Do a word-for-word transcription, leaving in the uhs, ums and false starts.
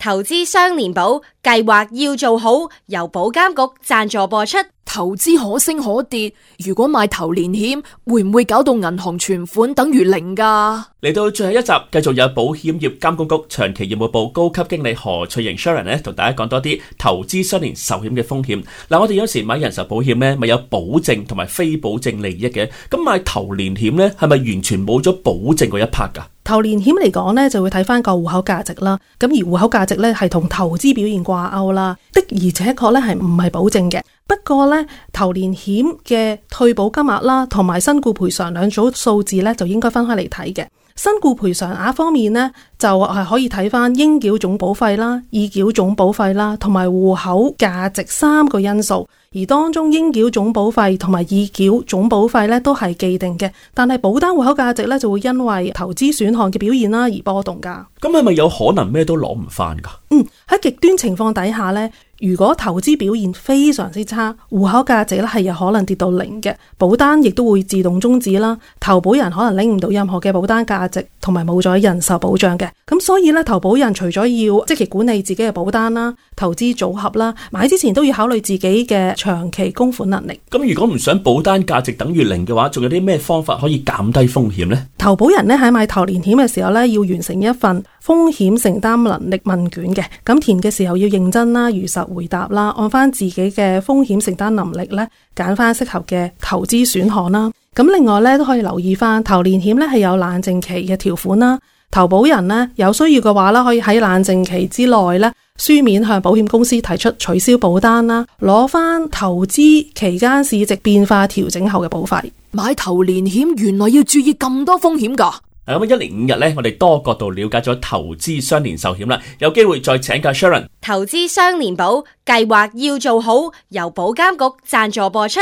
投資雙年保計劃要做好，由保監局贊助播出。投資可升可跌，如果買頭年險，會唔會搞到銀行存款等於零㗎？嚟到最後一集，繼續有保險業監管局長期業務部高級經理何翠瑩 Sharon 咧，同大家講多啲投資雙年壽險嘅風險。嗱，我哋有時買人壽保險咧，咪有保證同埋非保證利益嘅。咁買頭年險咧，係咪完全冇咗保證嗰一 part 㗎？頭年險嚟講咧，就會睇翻個戶口價值啦。咁而戶口價值咧係同投資表現掛鈎啦，的而且確咧係唔係保證嘅。不過咧，頭年險嘅退保金額啦，同埋身故賠償兩組數字咧，就應該分開嚟睇嘅。身故賠償額方面呢，就係可以睇翻應繳總保費啦、已繳總保費啦，同埋戶口價值三個因素。而當中應繳總保費同埋已繳總保費咧都係既定嘅，但係保單戶口價值咧就會因為投資選項嘅表現啦而波動噶。咁係咪有可能咩都攞唔翻噶？嗯，喺極端情況底下咧，如果投資表現非常之差，戶口價值咧係有可能跌到零嘅，保單亦都會自動終止啦。投保人可能拎唔到任何嘅保單價值，同埋冇咗人壽保障嘅。咁所以咧，投保人除咗要積極管理自己嘅保單啦、投資組合啦，買之前都要考慮自己嘅長期供款能力。咁如果唔想保單價值等於零嘅話，仲有啲咩方法可以減低風險呢？投保人咧喺買頭年險嘅時候咧，要完成一份風險承擔能力問卷嘅。咁填嘅時候要認真啦、如實回答啦，按翻自己嘅風險承擔能力咧，揀翻適合嘅投資選項啦。咁另外咧都可以留意翻頭年險咧係有冷靜期嘅條款啦。投保人呢，有需要嘅話啦，可以喺冷靜期之內咧書面向保險公司提出取消保單啦，攞翻投資期間市值變化調整後嘅保費。買頭年險原來要注意咁多風險㗎。咁一連五日咧，我哋多角度了解咗投資雙年壽險啦，有機會再請教 Sharon。投資雙年保計劃要做好，由保監局贊助播出。